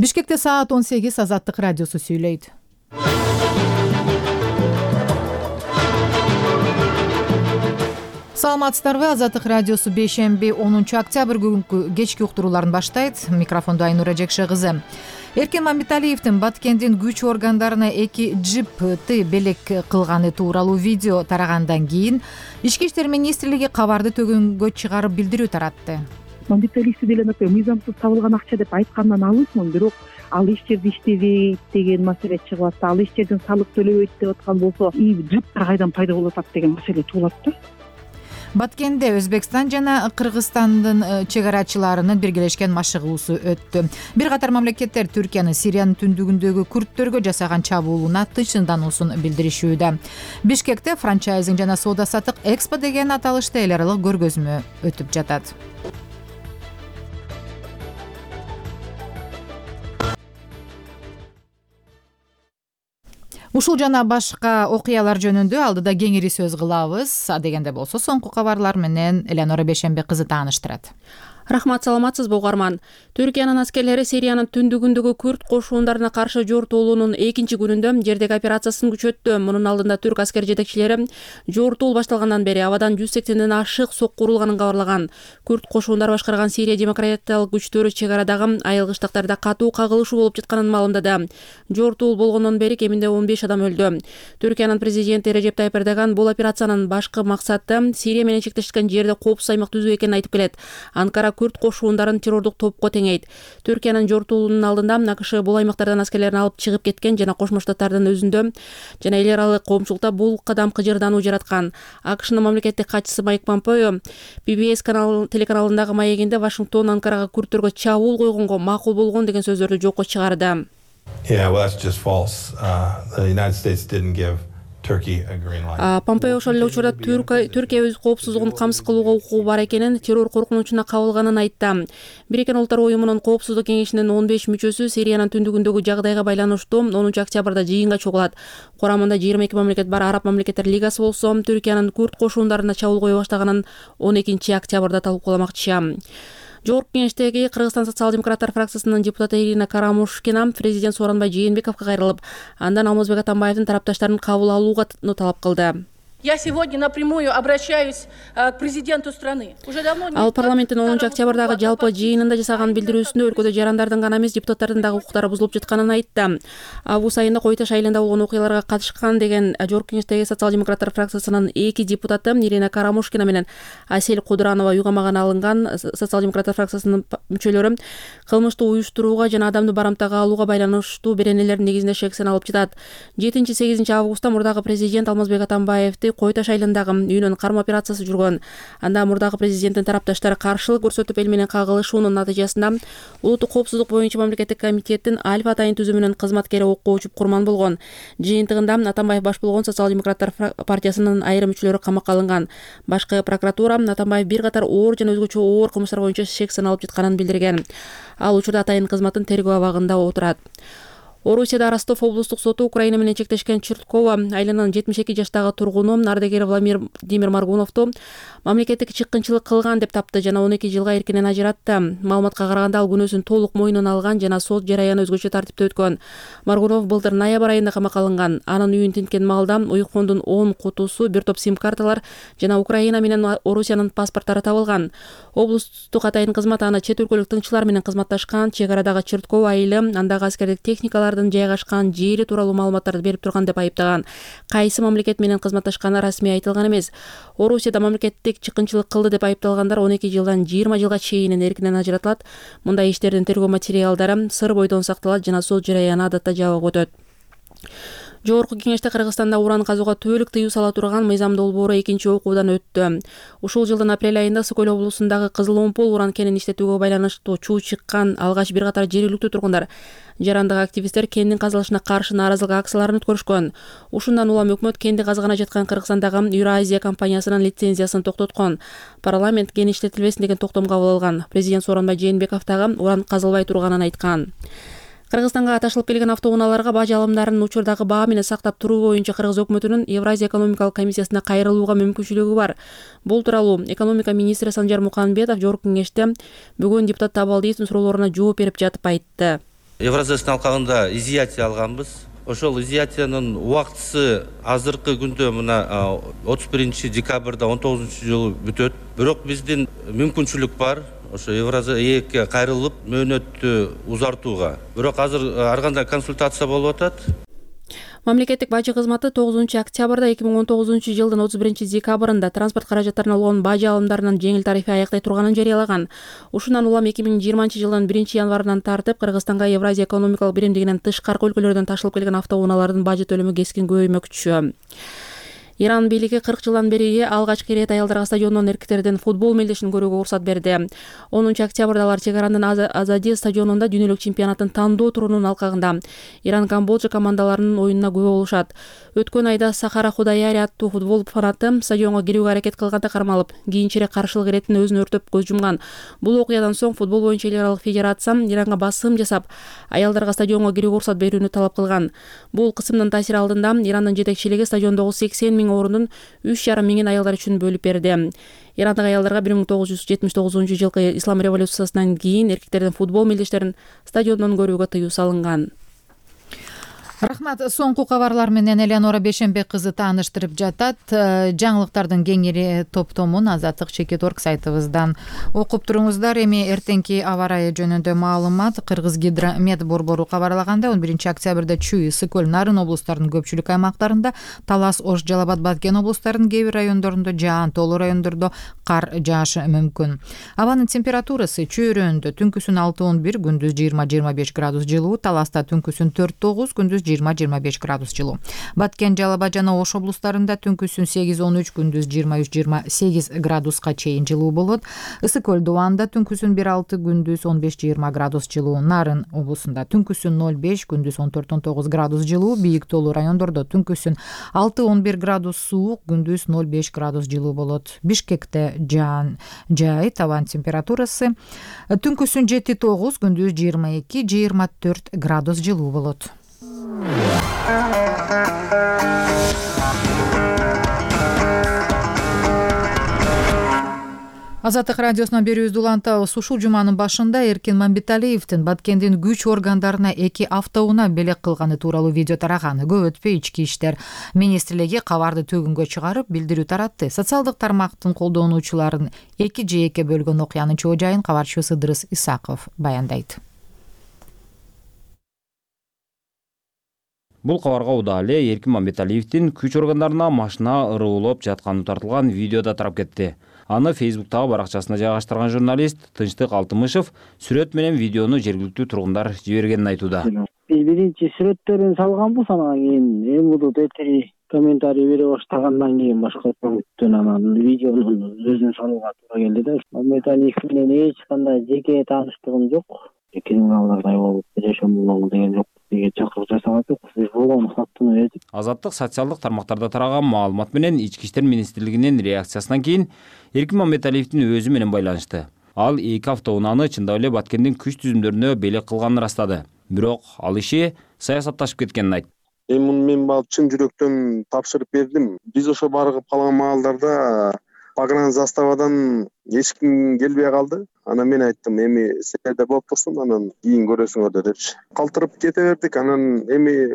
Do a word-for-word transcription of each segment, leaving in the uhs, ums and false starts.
Бишкекте саат он сегиз. Азаттык радиосу сүйлөйт. Саламатсыздарбы? Азаттык радиосу бейшемби онунчу октябрь күнкү кечки уктурууларын баштайт. Микрофондо Айнура Жекше кызы. Эркен Мамиталиевдин Баткендин күч органдарына эки джипти белек кылганы тууралуу видео тарагандан кийин Ички иштер министрлиги кабарды төгөнгө чыгарып билдирүү таратты. Мамиталиевди деле мыйзамсыз табылган акча деп айткандан алысмын, бирок ал иш жерде иштебейт деген маселе чыгып атты. Ал иш жерден салык төлөбөйт деп аткан болсо, и джиптер кайдан пайда болуп атат деген маселе туулат да. Баткенде Өзбекстан жана Кыргызстандын чегарачыларынын биргелешкен машыгуусу өттү. Бир катар мамлекеттер Түркиянын Сириянын түндүгүндөгү курдтөргө жасаган чабуулуна тынчсыздануусун билдиришүүдө. Бишкекте франчайзинг жана соода саттык Экспо деген аталышта эл аралык көргөзмө өтүп жатат. Ушул жана башка окуялар жөнүндө алдыда кеңири сөз кылабыз. Адегенде болсо соңку кабарлар менен Эленора Бейшемби кызы тааныштырат. Рахмат, саламатсызбы угарман. Түркиянын аскерлери Сириянын түндүгүндөгү күрд кошундарына каршы жортуулуунун экинчи күнүндө жердеги операциясын күчөттү. Мунун алдында түрк аскер жетекчилери жортуул башталгандан бери абадан жүз сексенден ашык сокку урулганын кабарлаган. Күрд кошундары башкарган Сирия демократиялык күчтөрү чек арадагы айыл кыштактарда катуу кагылышуу болуп жатканын маалымдады. Жортуул болгондон бери кеминде он беш адам өлдү. Түркиянын президенти Режеп Тайып Эрдоган бул операциянын башкы максаты Сирия менен чектешкен жерде коопсуз аймак түзүү экенин айтып келет. Анкара күрд кошундарын террордук топко теңейт. Түркиянын жортуулунун алдында АКШ бул аймактардан аскерлерин алып чыгып кеткен жана Кошмо Штаттардын өзүндө жана эл аралык коомчулукта бул кадам кыжырдануу жараткан. АКШнын мамлекеттик катчысы Майк Помпео Пи Би Эс канал телеканалындагы маегинде Вашингтон Анкарага күрдтөргө чабуул койгонго макул болгон деген сөздөрдү жокко чыгарды. Yeah, well, that's just false. Uh, the United States didn't give Turkey a green light. Помпео ошол эле учурда Түркия өз коопсуздугун камсыз кылууга укугу бар экенин, террор коркунучуна кабылганын айтты. Бириккен Улуттар уюмунун коопсуздук кеңешинин он беш мүчөсү Сириянын түндүгүндөгү жагдайга байланыштуу онунчу октябрда жыйынга чогулат. Курамында жыйырма эки мамлекет бар. Араб мамлекеттер лигасы болсо Түркиянын күрд кошундарына чабуул кое баштаганын он экинчи октябрда талкууламакчы. Жогорку кеңештеги Кыргызстан социал-демократтар фракциясынын депутаты Ирина Карамушкина президент Сооронбай Жээнбековго кайрылып, андан Алмазбек Атамбаевдин тарапташтарын кабыл алууга талап кылды. Я сегодня напрямую обращаюсь к президенту страны. Уже давно не. Ал парламенттин онунчу октябрдагы жалпы жыйынында жасаган билдирүүсүндө өлкөдө жарандардын гана эмес депутаттардын дагы укуктары бузулуп жатканын айтты. Август айында Кой Таш айылында болгон окуяларга катышкан деген жогорку кеңештеги социал-демократтар фракциясынын эки депутаты Ирина Карамушкина менен Асель Кудуранова уйгамагана алынган. Социал-демократтар фракциясынын мүчөлөрү кылмыштуу уюштурууга жана адамды барамтага алууга байланыштуу беренелердин негизинде шексен алып жатат. жетинчи сегизинчи августта мурдагы президент Алмазбек Атамбаевди Кой Таш айылындагы үйүнөн кармоо операциясы жүргөн. Анда мурдагы президенттин тарапташтары каршылык көрсөтүп эл менен кагылышуунун натыйжасында улуттук коопсуздук боюнча мамлекеттик комитеттин Альфа атайын түзүмүнүн кызматкери окко учуп курман болгон. Жыйынтыгында Атамбаев баш болгон социал-демократтар партиясынын айрым мүчөлөрү камакка алынган. Башкы прокуратура Атамбаев бир катар оор жана өзгөчө оор кылмыштар боюнча шексен алып жатканын билдирген. Ал учурда атайын кызматтын тергөө абагында отурат. Орусияда Ростов облустук соту Украина менен чектешкен Чурткова айылынын жетимиш эки жаштагы тургуну ардагер Владимир Маргуновду мамлекеттик чыккынчылык кылган деп тапты жана он эки жылга эркинен ажыратты. Маалыматка караганда ал күнөөсүн толук мойнуна алган жана сот жараяны өзгөчө тартипте өткөн. Маргунов былтыр ноябрь айында камакка алынган. Анын үйүн тинткен маалда уйкондун он кутусу, бир топ сим-карталар жана Украина менен Орусиянын паспорттары табылган. Облустук атайын кызмат аны чет өлкөлүк тыңчылар менен кызматташкан чек арадагы Чурткова айылы, андагы аскердик техникалар жайгашкан жери тууралуу маалыматтарды берип турган деп айыптаган. Кайсы мамлекет менен кызматташканы расмий айтылган эмес. Орусияда мамлекеттик чыккынчылык кылды деп айыпталгандар он эки жылдан жыйырма жылга чейин эркинен ажыратылат. Мындай иштердин тергөө материалдары сыр бойдон сакталат жана сот жараяны адатта жабык өтөт. Жогорку кеңеште Кыргызстанда уран казууга түбөлүк тыюу сала турган мыйзам долбоору экинчи окуудан өттү. Ушул жылдын апрель айында Сокөл облусундагы Кызыл Омпол уран кенин иштетүүгө байланыштуу чуу чыккан алгач бир катар жергиликтүү тургундар, жарандык активисттер кендин казылышына каршы нааразылык акцияларын өткөрүшкөн. Ушундан улам өкмөт кенди казгана жаткан Кыргызстандагы Юразия компаниясынын лицензиясын токтоткон. Парламент кен иштетилбесин деген токтом кабыл алган. Президент Сооронбай Жээнбеков дагы уран казылбай турганын айткан. Кыргызстанга ташылып келген автоунааларга бажы алымдарын учурдагы баа менен сактап туруу боюнча Кыргыз өкмөтүнүн Евразия экономикалык комиссиясына кайрылууга мүмкүнчүлүгү бар. Бул тууралуу экономика министри Санжар Муканбетов жогорку кеңеште бүгүн депутат Табалдиевдин суроолоруна жооп берип жатып айтты. Евразиясын алкагында изъятие алганбыз. Ошол изъятиянын убактысы азыркы күндө мына отуз биринчи декабрда он тогузунчу жылы бүтөт. Бирок биздин мүмкүнчүлүк бар. Ошо Евразия эки кайрылып мөөнөттү узартууга. Бирок азыр ар кандай консультация болуп атат. Мамлекеттик бажы кызматы тогузунчу октябрда эки миң он тогузунчу жылдын отуз биринчи декабрында транспорт каражаттарына болгон бажы алымдарынын жеңил тарифи аяктай турганын жарыялаган. Ушундан улам эки миң жыйырманчы жылдын биринчи январынан тартып Кыргызстанга Евразия экономикалык биримдигинен тышкаркы өлкөлөрдөн ташылып келген автоунаалардын бажы төлөмү кескин көбөймөкчү. Иран бийлиги кырк жылдан бери алгачкы ирет аялдарга стадиондон эркектердин футбол мелдешин көрүүгө уруксат берди. онунчу октябрда алар чек аранын Азади стадионунда дүйнөлүк чемпионаттын тандоо турунун алкагында Иран Камбоджа командаларынын оюнуна күбө болушат. Өткөн айда Сахара Худаяри аттуу футбол фанаты стадионго кирүүгө аракет кылганда кармалып, кийинчерээк каршылык иреттин өзүн өртөп көз жумган. Бул окуядан соң футбол боюнча эл аралык федерация Иранга басым жасап, аялдарга стадионго кирүүгө уруксат берүүнү талап кылган. Бул кысымдын таасири алдында Ирандын жетекчилиги стадиондогу сексен миң орунун үч жарым миңин аялдар үчүн бөлүп берди. Ирандык аялдарга бир миң тогуз жүз жетимиш тогузунчу жылкы ислам революциясынан кийин эркектердин футбол мелдештерин стадиондон көрүүгө тыюу салынган. Рахмат. Соңку кабарлар менен Элеонора Бешенбек кызы тааныштырып жатат. Жаңылыктардын кеңири топтомун Азаттык Чекит орг сайтыбыздан окуп туруңуздар. Эми эртеңки аба ырайы жөнүндө маалымат. Кыргыз гидромет борбору кабарлагандай он биринчи октябрда Чүй, Ысык Көл, Нарын облустарынын көпчүлүк аймактарында, Талас, Ош, Жалал Абад, Баткен облустарынын кээ бир райондорунда жаан, тоолуу райондордо кар жаашы мүмкүн. Абанын температурасы чөйрөндө түнкүсүн алты он бир, күндүз жыйырма жыйырма беш градус жылуу, Таласта түнкүсүн төрт тогуз, күндүз жыйырма жыйырма беш градус жылуу. Баткен, Жалал Абад жана Ош облустарында түнкүсүн сегиз он үч, күндүз жыйырма үч жыйырма сегиз градуска чейин жылуу болот. Ысык Көл, Дубанда түнкүсүн бир алты, күндүз он беш жыйырма градус жылуу. Нарын облусунда түнкүсүн ноль беш, күндүз он төрт он тогуз градус жылуу. Бийик тоолуу райондордо түнкүсүн алты он бир градус суук, күндүз ноль беш градус жылуу болот. Бишкекте жаан жай, табан температурасы түнкүсүн жети тогуз, күндүз жыйырма эки жыйырма төрт градус жылуу болот. Азаттык радиосунан берүүбүздү улантабыз. Ушул жуманын башында Эркин Мамбеталиевдин Баткендин күч органдарына эки автоунаа белек кылганы тууралуу видео тараган. Көп өтпөй ички иштер министрлиги кабарды төгүнгө чыгарып билдирүү таратты. Социалдык тармактын колдонуучуларын эки же экиге бөлгөн окуянын чоо жайын кабарчыбыз Ыдырыс Исаков баяндайт. Бул кабарга удаа эле Эркин Мамбеталиевдин күч органдарына машина ырыуулоп жатканы тартылган видеода тарап кетти. Аны Фейсбуктагы баракчасына жайгаштырган журналист Тынчтык Алтымышев сүрөт менен видеону жергиликтүү тургундар жибергенин айтууда. Биринчи сүрөттөрүн салганбыз, анан кийин эмудут этери комментарий бере баштагандан кийин башка пункттан анан видеонун өзүн салууга туура келди да. Мамбеталиев менен эч кандай жеке тааныштыгым жок. Криминалдардай болуп жашоом болгон деген жок. Чакырып жасаган жокпуз. Биз болгон фактыны бердик. Азаттык социалдык тармактарда тараган маалымат менен Ички иштер министрлигинин реакциясынан кийин Эркин Мамбеталиевдин өзү менен байланышты. Ал эки автоунааны чындап эле Баткендин күч түзүмдөрүнө белек кылганын ырастады. Бирок ал иши саясатташып кеткенин айтты. Эми мен бул чын жүрөктөн тапшырып бердим. Биз ошо барып калган маалдарда погран заставадан эч ким келбей калды. Анан мен айттым, эми силерде болуп турсун, анан кийин көрөсүңөр депчи. Калтырып кете бердик. Анан эми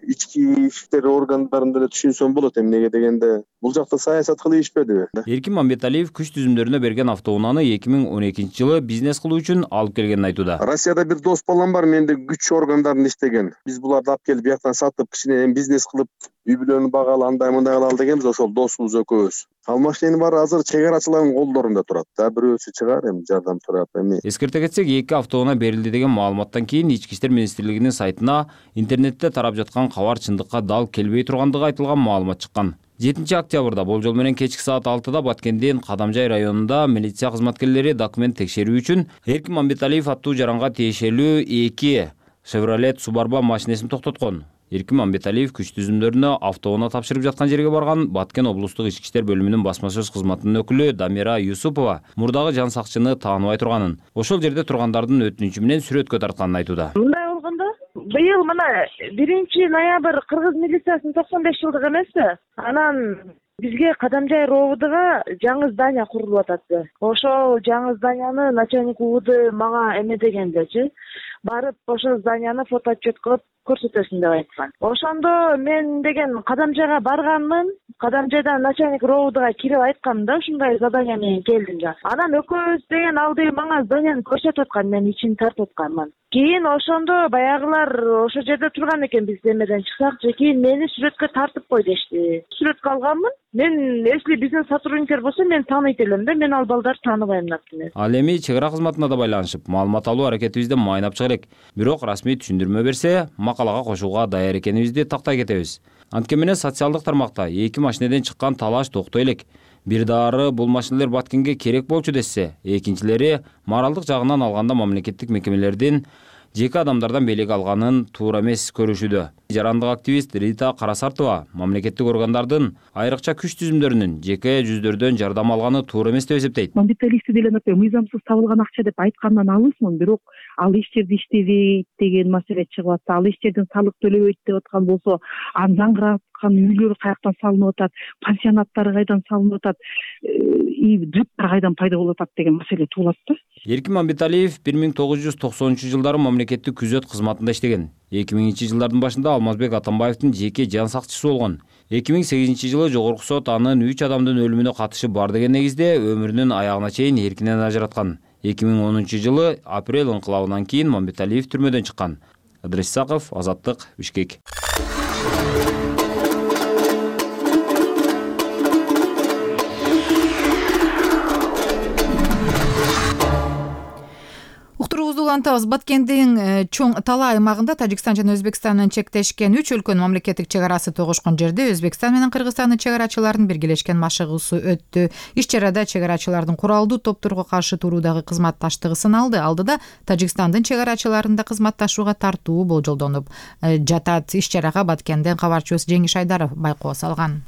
ички иштер органдарында да түшүнсөм болот, эмнеге дегенде бул жакта саясат кылып ишпедиби? Эркин Мамбеталиев күч түзүмдөрүнө берген автоунааны эки миң он экинчи жылы бизнес кылуу үчүн алып келгенин айтууда. Россияда бир дос балам бар, менде күч органдарында иштеген. Биз буларды алып келип бияктан сатып, кичине бизнес кылып, үй бүлөнү багалы, андай мындай кылалы дегенбиз, ошол досубуз экөөбүз. Ал машиненин баары азыр чек арачылардын колдорунда турат. Да бирөөсү чыгар, эми жардам сурап эми. Эскерте кетсек, эки автоунаа берилди деген маалыматтан кийин Ички иштер министрлигинин сайтына интернетте тарап жаткан кабар чындыкка дал келбей тургандыгы айтылган маалымат чыккан. жетинчи октябрда болжол менен кечки саат алтыда Баткендин Кадамжай районунда милиция кызматкерлери документ текшерүү үчүн Эркин Мамбеталиев аттуу жаранга тиешелүү эки Chevrolet Suburban машинесин токтоткон. Эркин Мамбеталиев күч түзүмдөрүнө автоунаа тапшырып жаткан жерге барган Баткен облустук ички иштер бөлүмүнүн басма сөз кызматынын өкүлү Дамира Юсупова мурдагы жан сакчыны тааныбай турганын, ошол жерде тургандардын өтүнүчү менен сүрөткө тартканын айтууда. Мындай болгондо быйыл мына биринчи ноябрь кыргыз милициясынын токсон беш жылдыгы эмеспи? Анан Бизге Кадамжай РОВДга жаңы здание курулуп атат. Ошол жаңы зданияны начальник УВД мага эмедегендечи, барып ошол зданияны фотоотчет кылып көрсөтөсүң деп айткан. Ошондо мен деген Кадамжайга барганмын. Кадамжайдан начальник РОВДга кирип айткам да, ушундай задание менен келдим да. Анан экөөбүз деген алды мага зданияны көрсөтүп аткан, мен ичин тартып атканмын. Кийин ошондо баягылар ошол жерде турган экен, биз эмеден чыксакчы, кийин мени сүрөткө тартып кой дешти. Сүрөткө алганмын. Мен если бизнес сотрудниктер болсо мен тааныйт элем да, мен ал балдарды тааныбайм например. Ал эми чек ара кызматына да байланышып маалымат алуу аракетибизде майнап чыга элек. Бирок расмий түшүндүрмө берсе, макалага кошууга даяр экенибизди тактай кетебиз. Анткени менен социалдык тармакта эки машинеден чыккан талаш токтой элек. Бир дары бул машинелер Баткенге керек болчу десе, экинчилери моралдык жагынан алганда мамлекеттик мекемелердин жеке адамдардан белек алганын туура эмес көрүшүүдө. Жарандык активист Рита Карасартова мамлекеттик органдардын айрыкча күч түзүмдөрүнүн жеке жүздөрдөн жардам алганы туура эмес деп эсептейт. Мамлекеттик деле мыйзамсыз табылган акча деп айткандан алысмын, бирок ал эч жерде иштебейт деген маселе чыгып атса, ал эч жерден салык төлөбөйт деп аткан болсо, анын жаңгыраткан үйлөр каяктан салынып атат, пансионаттар кайдан салынып атат, и джиптер кайдан пайда болуп атат деген маселе туулат да. Эркин Мамбеталиев бир миң тогуз жүз токсонунчу жылдары мамлекеттик күзөт кызматында иштеген. эки миңинчи жылдардын башында Алмазбек Атамбаевдин жеке жан сакчысы болгон. эки миң сегизинчи жылы жогорку сот анын үч адамдын өлүмүнө катышы бар деген негизде өмүрүнүн аягына чейин эркинен ажыраткан. эки миң онунчу жылы апрель инкылабынан кийин Мамбеталиев түрмөдөн чыккан. Адрес Исаков, Азаттык, Бишкек. Улантабыз. Баткендин чоң Тала аймагында Тажикстан жана Өзбекстан менен чектешкен үч өлкөнүн мамлекеттик чек арасы тогушкон жерде Өзбекстан менен Кыргызстандын чек арачыларынын биргелешкен машыгуусу өттү. Иш чарада чек арачылардын куралдуу топторго каршы туруудагы кызматташтыгы сыналды. Алдыда Тажикстандын чек арачыларында кызматташууга тартуу болжолдонуп жатат. Иш чарага Баткенден кабарчыбыз Жеңиш Айдаров байкоо салган.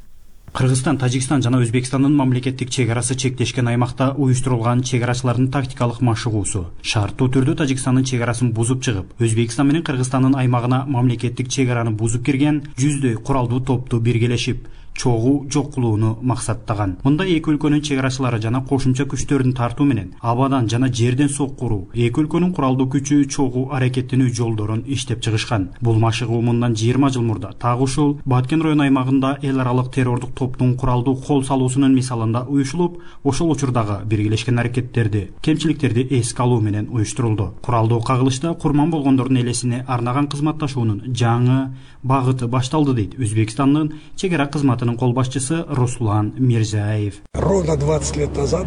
Кыргызстан, Тажикстан жана Өзбекстандын мамлекеттик чек арасы чектешкен аймакта уюштурулган чек арачылардын тактикалык машыгуусу шарттуу түрдө Тажикстандын чек арасын бузуп чыгып, Өзбекстан менен Кыргызстандын аймагына мамлекеттик чек араны бузуп кирген жүздөй куралдуу топту биргелешип чогуу жок кылууну максаттаган. Мында эки өлкөнүн чек арачылары жана кошумча күчтөрдүн тартуу менен абадан жана жерден соккуруу, эки өлкөнүн куралдуу күчү чогуу аракеттенүү жолдорун иштеп чыгышкан. Бул машыгуу мындан жыйырма жыл мурда так ушул Баткен району аймагында эл аралык террордук топтун куралдуу кол салуусунун мисалында уюшулуп, ошол учурдагы биргелешкен аракеттерди, кемчиликтерди эске алуу менен уюштурулду. Куралдуу кагылышта курман болгондордун элесине арнаган кызматташуунун жаңы багыты башталды дейт Өзбекстандын чек ара кызматынын кол башчысы Руслан Мирзаев. Ровно двадцать лет назад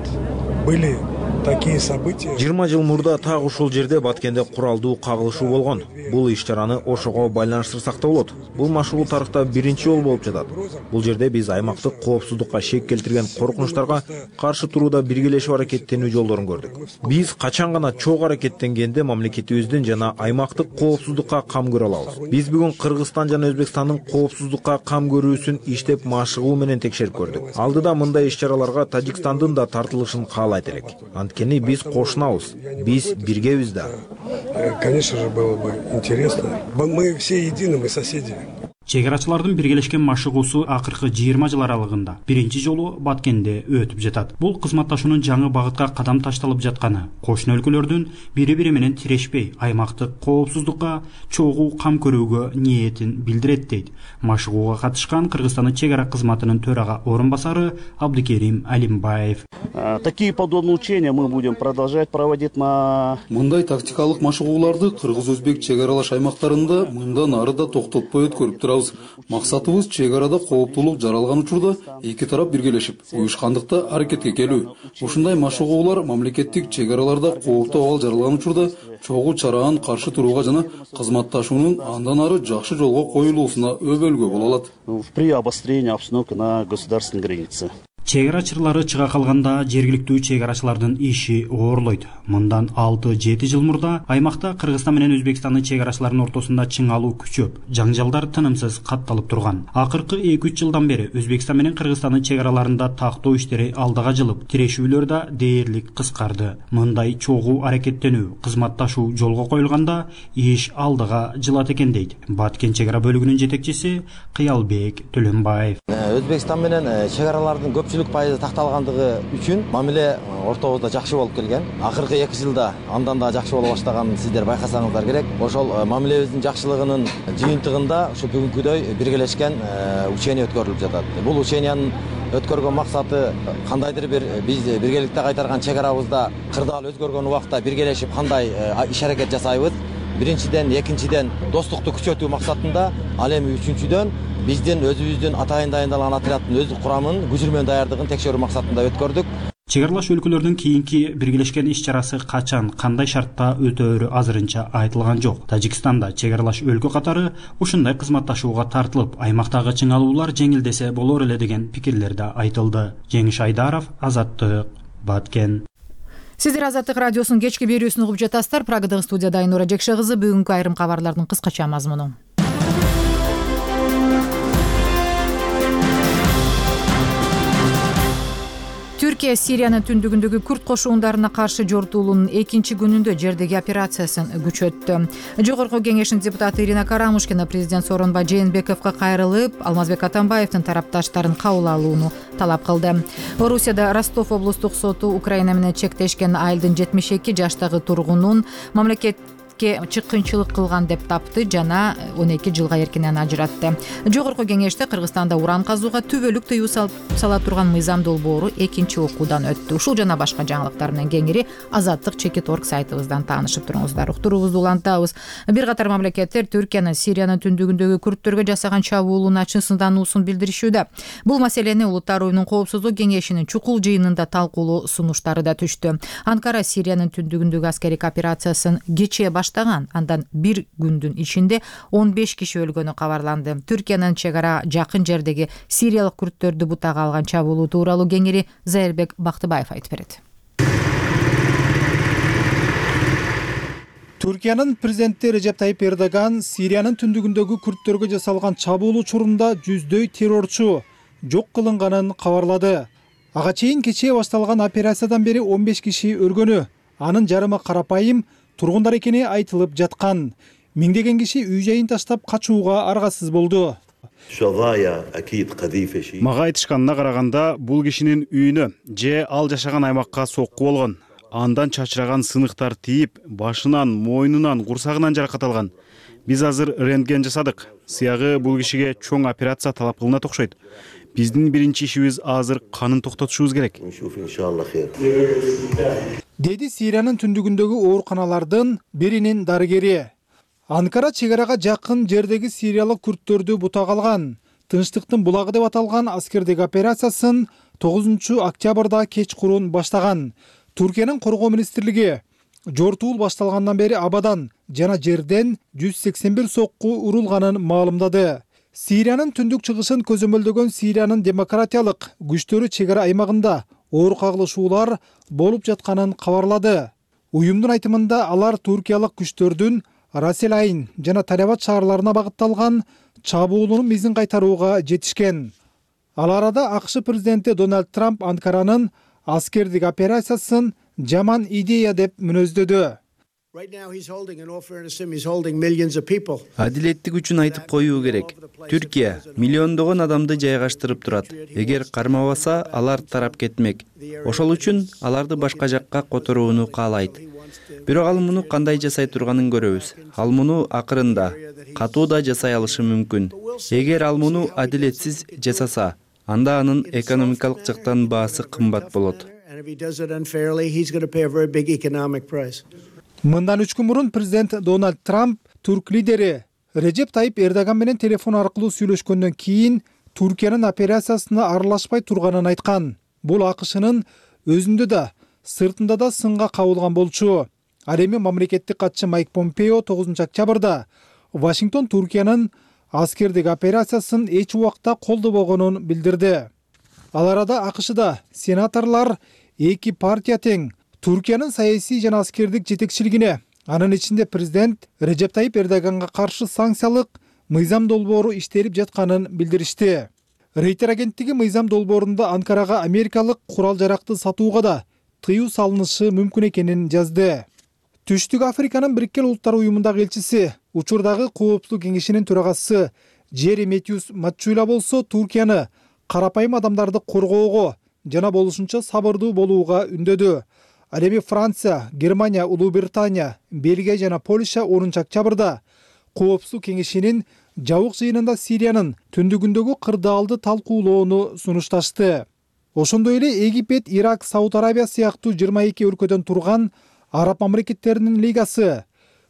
были такие события. жыйырма жыл мурда так ушул жерде Баткенде куралдуу кагылышуу болгон. Бул иш-чараны ошого байланыштырсак да болот. Бул машыгуу тарыхта биринчи жолу болуп жатат. Бул жерде биз аймактык коопсуздукка шек келтирген коркунучтарга каршы турууда биргелешип аракеттенүү жолдорун көрдүк. Биз качан гана чогуу аракеттенгенде мамлекетибиздин жана аймактык коопсуздукка кам көрө алабыз. Биз бүгүн Кыргызстан жана Өзбекстандын коопсуздукка кам көрүүсүн иштеп машыгуу менен текшерип көрдүк. Алдыда мындай иш-чараларга Тажикстандын да тартылышын каалайт элек. Анткени биз кошунабыз, биз биргебиз да. Конечно же, было бы интересно. Мы все едины, мы соседи. Чек арачылардын биргелешкен машыгуусу акыркы жыйырма жыл аралыгында биринчи жолу Баткенде өтүп жатат. Бул кызматташуунун жаңы багытка кадам ташталып жатканы, кошуна өлкөлөрдүн бири-бири менен тирешпей аймактык коопсуздукка чогуу кам көрүүгө ниетин билдирет дейт машыгууга катышкан Кыргызстандын чек ара кызматынын төрага орун басары Абдыкерим Алимбаев. Такие подобные учения мы будем продолжать проводить на... Мындай тактикалык машыгууларды кыргыз-өзбек чек аралаш аймактарында мындан ары да токтотпой өткөрүп турабыз. Максатыбыз чек арада кооптуулук жаралган учурда эки тарап биргелешип, уюшкандыкта аракетке келүү. Ушундай машыгуулар мамлекеттик чек араларда кооптуу абал жаралган учурда чогуу чараны каршы турууга жана кызматташуунун андан ары жакшы жолго коюлуусуна өбөлгө боло алат. При обострении обстановки на государственной границе. чек ара чырлары чыга калганда жергиликтүү чек арачылардын иши оорлойт. Мындан алты жети жыл мурда аймакта Кыргызстан менен Өзбекстандын чек арачыларынын ортосунда чыңалуу күчөп, жаңжалдар тынымсыз катталып турган. Акыркы эки үч жылдан бери Өзбекстан менен Кыргызстандын чек араларында тактоо иштери алдыга жылып, тирешүүлөр да дээрлик кыскарды. Мындай чогуу аракеттенүү, кызматташуу жолго коюлганда иш алдыга жылат экен дейт Баткен чек ара бөлүгүнүн жетекчиси Кыялбек Төлөнбаев. Өзбекстан менен чек аралардын көпчүлүк пайызы такталгандыгы үчүн мамиле ортобузда жакшы болуп келген. Акыркы эки жылда андан да жакшы боло баштаганын сиздер байкасаңыздар керек. Ошол мамилебиздин жакшылыгынын жыйынтыгында ушу бүгүнкүдөй биргелешкен учение өткөрүлүп жатат. Бул учениянын өткөргөн максаты кандайдыр бир биз биргеликте кайтарган чек арабызда кырдаал өзгөргөн убакта биргелешип кандай иш аракет жасайбыз. Биринчиден, экинчиден достукту күчөтүү максатында, ал эми үчүнчүдөн биздин өзүбүздүн атайын дайындалган отряддын өз курамын күжүрмөн даярдыгын текшерүү максатында өткөрдүк. Чек аралаш өлкөлөрдүн кийинки биргелешкен иш чарасы качан, кандай шартта өтөөрү азырынча айтылган жок. Тажикстанда чек аралаш өлкө катары ушундай кызматташууга тартылып, аймактагы чыңалуулар жеңилдесе болор эле деген пикирлер да айтылды. Жеңиш Айдаров, Азаттык, Баткен. Сиздер Азаттык радиосунун кечки берүүсүн угуп жатасыздар. Прагадагы студияда Айнура Жекше кызы. Бүгүнкү айрым кабарлардын кыскача мазмуну. Түркия Сириянын түндүгүндөгү күрд кошундарына каршы жортуулуунун экинчи күнүндө жердеги операциясын күчөттү. Жогорку кеңештин депутаты Ирина Карамушкина президент Сооронбай Жээнбековго кайрылып, Алмазбек Атамбаевдин тарапташтарын кабыл алууну талап кылды. Орусияда Ростов облустук соту Украина менен чектешкен айылдын жетимиш эки жаштагы тургунун мамлекет чыккынчылык кылган деп тапты жана он эки жылга эркинен ажыратты. Жогорку кеңеште Кыргызстанда уран казууга түбөлүк тыюу сала турган мыйзам долбоору экинчи окуудан өттү. Ушул жана башка жаңылыктар менен кеңири Азаттык чекит точка орг сайтыбыздан таанышып туруңуздар. Уктуруубузду улантабыз. Бир катар мамлекеттер Түркиянын Сириянын түндүгүндөгү курдтөргө жасаган чабуулуна чын сындануусун билдиришүүдө. Бул маселени Улуттар уюмунун коопсуздук кеңешинин чукул жыйынында талкуулоо сунуштары да түштү. Анкара Сириянын түндүгүндөгү аскердик операциясын кечээ баштаган, андан бир күндүн ичинде он беш киши өлгөнү кабарланды. Түркиянын чек ара жакын жердеги сириялык күрдтөрдү бутага алган чабуулуу тууралуу кеңири Зайырбек Бактыбаев айтып берет. Түркиянын президенти Режеп Тайип Эрдоган Сириянын түндүгүндөгү күрдтөргө жасалган чабуулуу учурунда жүздөй террорчу жок кылынганын кабарлады. Ага чейин кечээ башталган операциядан бери он беш киши өлгөнү, анын жарымы карапайым тургундар экени айтылып жаткан. Миңдеген киши үй жайын таштап качууга аргасыз болду. Мага айтышканына караганда, бул кишинин үйүнө же ал жашаган аймакка сокку болгон. Андан чачыраган сыныктар тийип, башынан, мойнунан, курсагынан жаракат алган. Биз азыр рентген жасадык. Сыягы бул кишиге чоң операция талап кылынат окшойт. Биздин биринчи ишибиз азыр канын токтотушубуз керек. Деди Сириянын түндүгүндөгү ооруканалардын биринин дарыгери. Анкара чек арага жакын жердеги сириялык күрдтөрдү бутага алган. Тынчтыктын булагы деп аталган аскердик операциясын тогузунчу октябрда кечкурун баштаган. Түркиянын коргоо министрлиги жортуул башталгандан бери абадан жана жерден жүз сексен бир сокку урулганын маалымдады. Сириянын түндүк чыгышын көзөмөлдөгөн Сириянын демократиялык күчтөрү чек ара аймагында оор кагылышуулар болуп жатканын кабарлады. Уюмдун айтымында алар туркиялык күчтөрдүн Раселайн жана Талябат шаарларына багытталган чабуулунун мизин кайтарууга жетишкен. Ал арада АКШ президенти Дональд Трамп Анкаранын аскердик операциясын жаман идея деп мүнөздөдү. Адилеттик үчүн айтып коюу керек. Түркия миллиондогон адамды жайгаштырып турат. Эгер кармабаса, алар тарап кетмек. Ошол үчүн аларды башка жакка которууну каалайт. Бирок ал муну кандай жасай турганын көрөбүз. Ал муну акырында катуу да жасай алышы мүмкүн. Эгер ал муну адилетсиз жасаса, анда анын экономикалык жактан баасы кымбат болот. Мындан үч күн мурун президент Дональд Трамп түрк лидери Режеп Тайип Эрдоган менен телефон аркылуу сүйлөшкөндөн кийин Түркиянын операциясына аралашпай турганын айткан. Бул АКШнын өзүндө да, сыртында да сынга кабылган болчу. Ал эми мамлекеттик катчы Майк Помпео тогузунчу октябрда Вашингтон Түркиянын аскердик операциясын эч убакта колдобогонун билдирди. Ал арада АКШда сенаторлор эки партия тең Түркиянын саясий жана аскердик жетекчилигине, анын ичинде президент Режеп Тайип Эрдоганга каршы санкциялык мыйзам долбоору иштелип жатканын билдиришти. Рейтер агенттиги мыйзам долбоорунда Анкарага америкалык курал жаракты сатууга да тыюу салынышы мүмкүн экенин жазды. Түштүк Африканын Бириккен Улуттар уюмундагы элчиси, учурдагы Коопсуздук кеңешинин төрагасы Джери Метьюс Матчуйла болсо Туркияны карапайым адамдарды коргоого жана болушунча сабырдуу болууга үндөдү. Ал эми Франция, Германия, Улуу Британия, Бельгия жана Польша онунчу октябрда Коопсуздук кеңешинин жабык жыйынында Сириянын түндүгүндөгү кырдаалды талкуулоону сунушташты. Ошондой эле Египет, Ирак, Сауд Арабия сыяктуу жыйырма эки өлкөдөн турган Араб мамлекеттеринин лигасы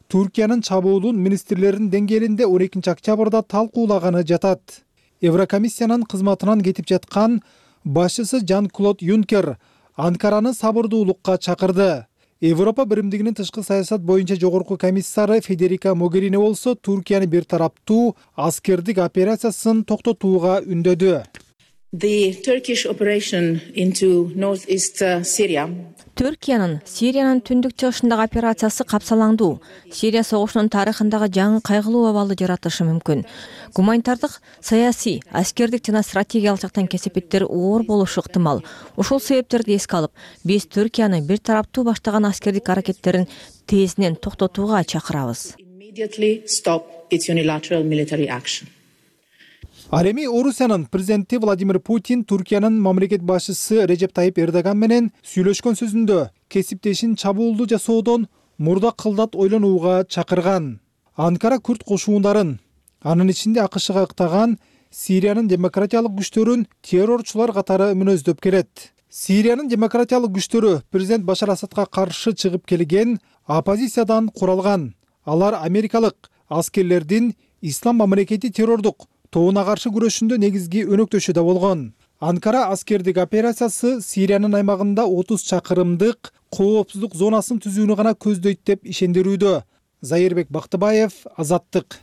Туркиянын чабуулун министрлеринин деңгээлинде он экинчи октябрда талкуулаганы жатат. Еврокомиссиянын кызматынан кетип жаткан башчысы Жан-Клод Юнкер Анкараны сабырдуулукка чакырды. Европа биримдигинин тышкы саясат боюнча жогорку комиссары Федерика Могерини болсо Туркияны бир тараптуу аскердик операциясын токтотууга үндөдү. Түркиянын Сириянын түндүк чыгышындагы операциясы капсалаңдуу. Сирия согушунун тарыхындагы жаңы кайгылуу абалды жаратышы мүмкүн. Гуманитардык, саясий, аскердик жана стратегиялык жактан кесепеттер оор болушу ыктымал. Ушул себептерди эске алып, биз Түркияны бир тараптуу баштаган аскердик аракеттерин тезинен токтотууга чакырабыз. Ал эми Орусиянын президенти Владимир Путин Туркиянын мамлекет башчысы Режеп Тайип Эрдоган менен сүйлөшкөн сөзүндө кесиптешин чабуулду жасоодон мурда кылдат ойлонууга чакырган. Анкара күрд кошуундарын, анын ичинде АКШга ыктаган Сириянын демократиялык күчтөрүн террорчулар катары мүнөздөп келет. Сириянын демократиялык күчтөрү президент Башар Асадка каршы чыгып келген оппозициядан куралган. Алар америкалык аскерлердин Ислам мамлекети террордук тобуна каршы күрөшүндө негизги өнөктөшү да болгон. Анкара аскердик операциясы Сириянын аймагында отуз чакырымдык коопсуздук зонасын түзүүнү гана көздөйт деп ишендирүүдө. Зайырбек Бактыбаев, Азаттык.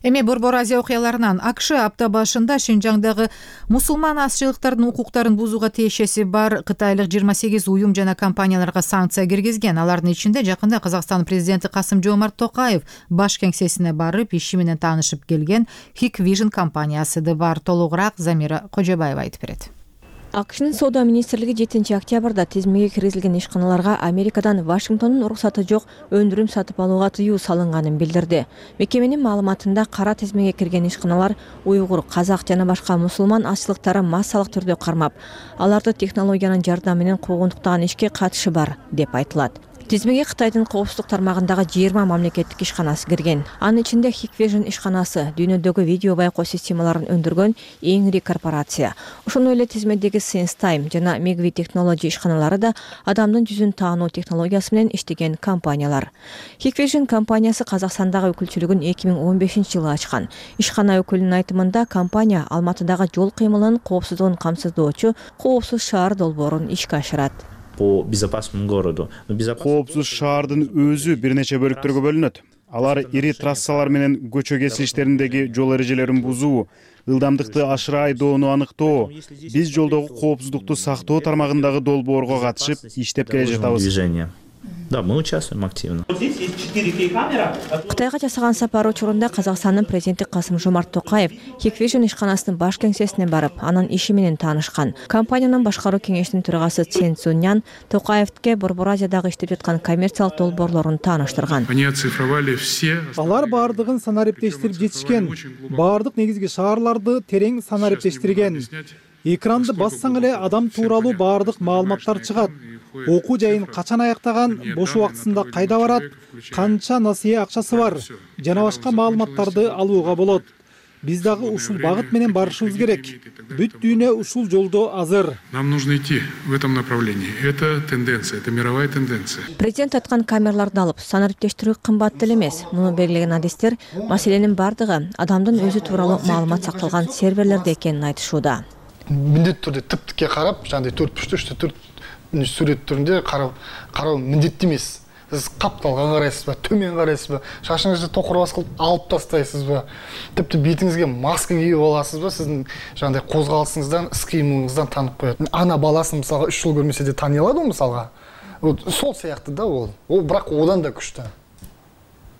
Эми Борбор Азия окуяларынан АКШ апта башында Шинжаңдагы мусулман азчылыктардын укуктарын бузууга тиешеси бар кытайлык жыйырма сегиз уюм жана компанияларга санкция киргизген. Алардын ичинде жакында Казакстан президенти Касым-Жомарт Токаев баш кеңсесине барып иши менен таанышып келген Hikvision компаниясы да бар. Толугураак Замира Кожобаева айтып берет. АКШнын соода министрлиги жетинчи октябрда тизмеге киргизилген ишканаларга Америкадан Вашингтондун уруксаты жок өндүрүм сатып алууга тыюу салынганын билдирди. Мекеменин маалыматында кара тизмеге кирген ишканалар уйгур, казак жана башка мусулман азчылыктарын массалык түрдө кармап, аларды технологиянын жардамы менен куугунтуктаган ишке катышы бар деп айтылат. Тизмеге Кытайдын коопсуздук тармагындагы жыйырма мамлекеттик ишканасы кирген. Анын ичинде Hikvision ишканасы дүйнөдөгү видео байкоо системаларын өндүргөн эң ири корпорация. Ошондой эле тизмедеги SenseTime жана Megvi Technology ишканалары да адамдын жүзүн таануу технологиясы менен иштеген компаниялар. Hikvision компаниясы Казакстандагы өкүлчүлүгүн эки миң он бешинчи жылы ачкан. Ишкана өкүлүнүн айтымында компания Алматыдагы жол кыймылынын коопсуздугун камсыздоочу Коопсуз шаар долбоорун ишке ашырат. По безопасному городу. Коопсуз шаардын өзү бир нече бөлүктөргө бөлүнөт. Алар ири трассалар менен көчө кесилиштериндеги жол эрежелерин бузуу, ылдамдыкты ашыра айдоону аныктоо, биз жолдогу коопсуздукту сактоо тармагындагы долбоорго катышып иштеп келе жатабыз. Да, мы участвуем активно. Кытайга жасаган сапары учурунда Казакстандын президенти Касым-Жомарт Токаев Hikvision ишканасынын баш кеңсесине барып, анын иши менен таанышкан. Компаниянын башкаруу кеңешинин төрагасы Цен Цуньян Токаевке Борбор Азиядагы иштеп жаткан коммерциялык долбоорлорун тааныштырган. Алар баардыгын санариптештирип жетишкен, баардык негизги шаарларды терең санариптештирген. Экранды бассаң эле адам тууралуу баардык маалыматтар чыгат. Окуу жайын качан аяктаган, бош убактысында кайда барат, канча насыя акчасы бар жана башка маалыматтарды алууга болот. Биз дагы ушул багыт менен барышыбыз керек. Бүт дүйнө ушул жолдо азыр. Нам нужно идти в этом направлении. Это тенденция, это мировая тенденция. Президент айткан камераларды алып, санариптештирүү кымбат деле эмес. Муну белгилеген адистер маселенин бардыгы адамдын өзү тууралуу маалымат сакталган серверлерде экенин айтышууда. Міндетті түрде тіп-тіке қарап, жаңағыдай төрт бүтін үштө төрт сүрет түрінде қарау міндетті емес. сиз капталга карайсызбы, төмен карайсызбы, шашыңызды токурбас кылып алып тастайсызбы, типти бетиңизге маска кийип аласызбы, сиздин жандай козголушуңуздан, ис кыймылыңыздан таанып коет. Ана баласын мисалга үч жыл көрмөсө да тани алат, мисалга. Вот сол сыяктуу да ол. Ол бирок одан да күчтүү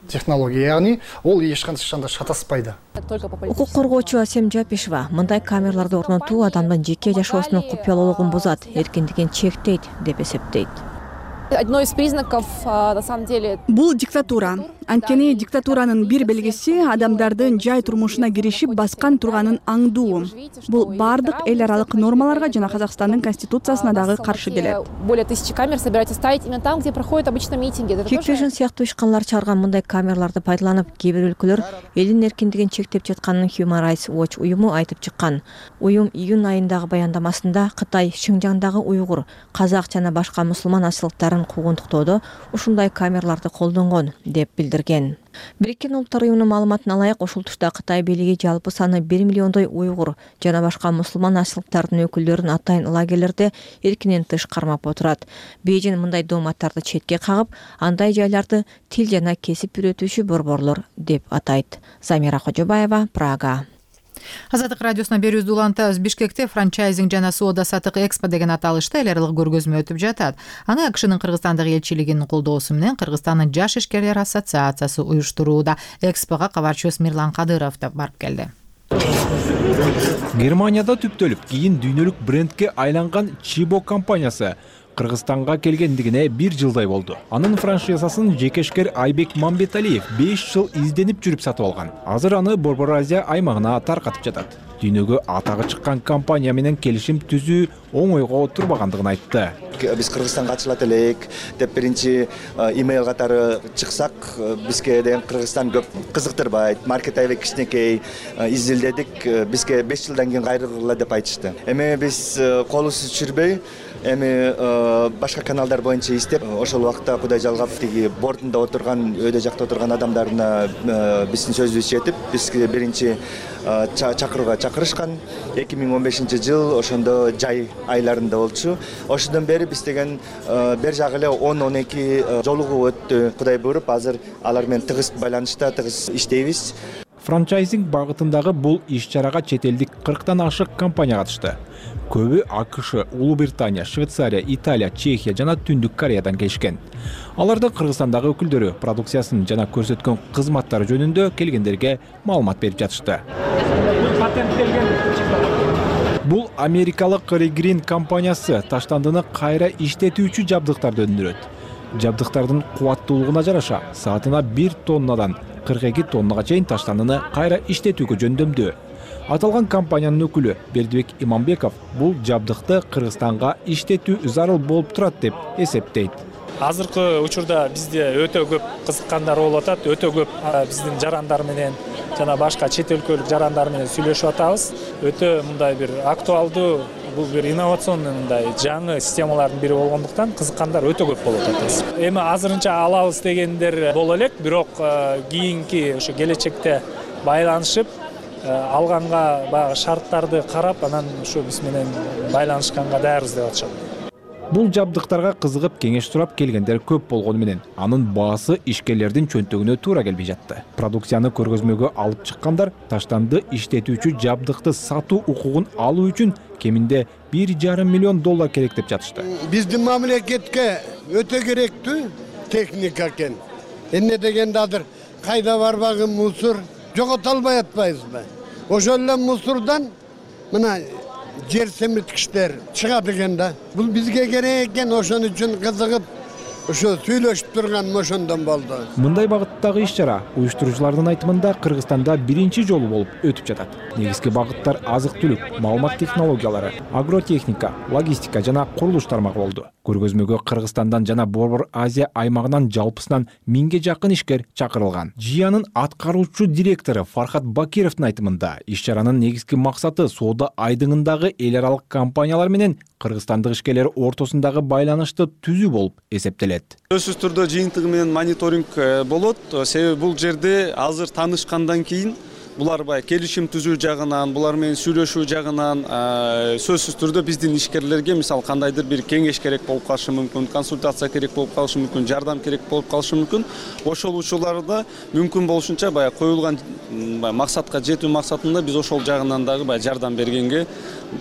технология, яғни ол ешқандай шатаспайды. Укук коргоочу Асем Жапишева мындай камераларды орнотуу адамдын жеке жашоосунун купуялуулугун бузат, эркиндигин чектейт деп эсептейт. Одно из признаков, на самом деле, бул диктатура. Анткени диктатуранын бир белгиси адамдардын жай турмушуна киришип баскан турганын аңдуу. Бул бардык эл аралык нормаларга жана Казакстандын конституциясына дагы каршы келет. Более тысячи камер собираются ставить именно там, где проходят обычно митинги. Хиквижн сыяктуу ишканалар чыгарган мындай камераларды пайдаланып, кээ бир өлкөлөр элдин эркиндигин чектеп жатканын Human Rights Watch уюму айтып чыккан. Уюм июнь айындагы баяндамасында Кытай Шинжаңдагы уйгур, казак жана башка мусулман асылыктарын куугунтуктоодо ушундай камераларды колдонгон деп билдирген. Бириккен Улуттар уюмунун маалыматына ылайык, ушул тушта Кытай бийлиги жалпы саны бир миллиондой уйгур жана башка мусулман асылыктардын өкүлдөрүн атайын лагерлерде эркинен тыш кармап отурат. Бейжин мындай дооматтарды четке кагып, андай жайларды тил жана кесип үйрөтүүчү борборлор деп атайт. Замира Кожобаева, Прага. Азаттык радиосуна берүүбүздү улантабыз. Бишкекте франчайзинг жана соода сатык экспо деген аталышта эл аралык көргөзмө өтүп жатат. Аны АКШнын Кыргызстандагы элчилигинин колдоосу менен Кыргызстандын Жаш ишкерлер ассоциациясы уюштурууда. Экспого кабарчыбыз Мирлан Кадыров да барып келди. Германияда түптөлүп, кийин дүйнөлүк брендке айланган Чибо компаниясы Кыргызстанга келгендигине бир жылдай болду. Анын франшизасын жекешкер Айбек Мамбеталиев беш жыл изденип жүрүп сатып алган. Азыр аны Борбор Азия аймагына таркатып жатат. Дүйнөгө атагы чыккан компания менен келишим түзүү оңойго турбагандыгын айтты. Биз Кыргызстанга ачылат элек деп биринчи имейл катары чыксак, бизге деген Кыргызстан көп кызыктырбайт, маркет аябай кичинекей, изилдедик, бизге беш жылдан кийин кайрыла деп айтышты. Эми биз колубузду түшүрбөй, эми башка каналдар боюнча издеп, ошол убакта Кудай жалгап тиги бортунда отурган, өйдө жакта отурган адамдарына биздин сөзүбүз жетип, бизге биринчи чакырууга чакырышкан. эки миң он бешинчи жыл ошондо жай айларында болчу. Ошондон бери биз деген бер жагы эле он он эки жолугуу өттү. Кудай буйруп, азыр алар менен тыгыз байланышта, тыгыз иштейбиз. Франчайзинг багытындагы бул иш-чарага чет элдик кырктан ашык компания катышты. Көбү АКШ, Улуу Британия, Швейцария, Италия, Чехия жана Түндүк Кореядан келишкен. Алардын Кыргызстандагы өкүлдөрү продукциясын жана көрсөткөн кызматтары жөнүндө келгендерге маалымат берип жатышты. Бул америкалык Регрин компаниясы таштандыны кайра иштетүүчү жабдыктарды өндүрөт. Жабдыктардын кубаттуулугуна жараша саатына бир тоннадан кырк эки тоннага чейин таштандыны кайра иштетүүгө жөндөмдүү. Аталган компаниянын өкүлү Бердибек Иманбеков бул жабдыкты Кыргызстанга иштетүү зарыл болуп турат деп эсептейт. Азыркы учурда бизде өтө көп кызыккандар болуп атат, өтө көп биздин жарандар менен жана башка чет өлкөлүк жарандар менен сүйлөшүп атабыз. Өтө мындай бир актуалдуу, бул бир инновационный мындай жаңы системалардын бири болгондуктан кызыккандар өтө көп болуп атат. Эми азырынча алабыз дегендер боло элек, бирок кийинки ошо келечекте байланышып алганга баягы шарттарды карап, анан ушу биз менен байланышканга даярбыз деп атышат. Бул жабдыктарга кызыгып кеңеш сурап келгендер көп болгону менен анын баасы ишкерлердин чөнтөгүнө туура келбей жатты. Продукцияны көргөзмөгө алып чыккандар таштанды иштетүүчү жабдыкты сатуу укугун алуу үчүн кеминде бир жарым миллион доллар керек деп жатышты. Биздин мамлекетке өтө керектүү техника экен. Эмне дегенде азыр кайда барбагы мусор жогото албай атпайбызбы? Ошол эле мусордон мына жер семирткичтер чыгат экен да. Бул бизге керек экен, ошон үчүн кызыгып ошо сүйлөшүп турган ошондон болду. Мындай багыттагы иш-чара уюштуруучулардын айтымында Кыргызстанда биринчи жолу болуп өтүп жатат. Негизги багыттар азык-түлүк, маалымат технологиялары, агротехника, логистика жана курулуш тармагы болду. Көргөзмөгө Кыргызстандан жана Борбор Азия аймагынан жалпысынан миңге жакын ишкер чакырылган. Жиянын аткаруучу директору Фархат Бакировдун айтымында иш-чаранын негизги максаты соода айдыңындагы эл аралык компаниялар менен кыргызстандык ишкерлер ортосундагы байланышты түзүү болуп эсептелет. Сөзсүз түрдө жыйынтыгы менен мониторинг болот. Себеби бул жерде азыр таанышкандан кийин булар баягы келишим түзүү жагынан, булар менен сүйлөшүү жагынан сөзсүз түрдө биздин ишкерлерге мисалы кандайдыр бир кеңеш керек болуп калышы мүмкүн, консультация керек болуп калышы мүмкүн, жардам керек болуп калышы мүмкүн. Ошол учурларда мүмкүн болушунча баягы коюлган максатка жетүү максатында биз ошол жагынан дагы баягы жардам бергенге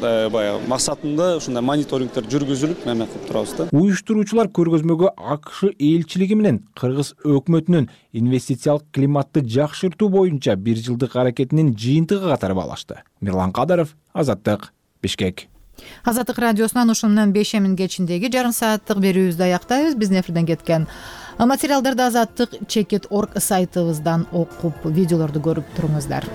баягы максатында ушундай мониторингдер жүргүзүлүп эме кылып турабыз да. Уюштуруучулар көргөзмөгө АКШ элчилиги менен Кыргыз өкмөтүнүн инвестициялык климатты жакшыртуу боюнча бир жылдык аракетинин жыйынтыгы катары баалашты. Мирлан Кадаров, Азаттык, Бишкек. Азаттык радиосунан ушуну менен бешемин кечиндеги жарым сааттык берүүбүздү аяктайбыз. Биздин эфирден кеткен материалдарды азаттык чекит точка орг сайтыбыздан окуп, видеолорду көрүп туруңуздар.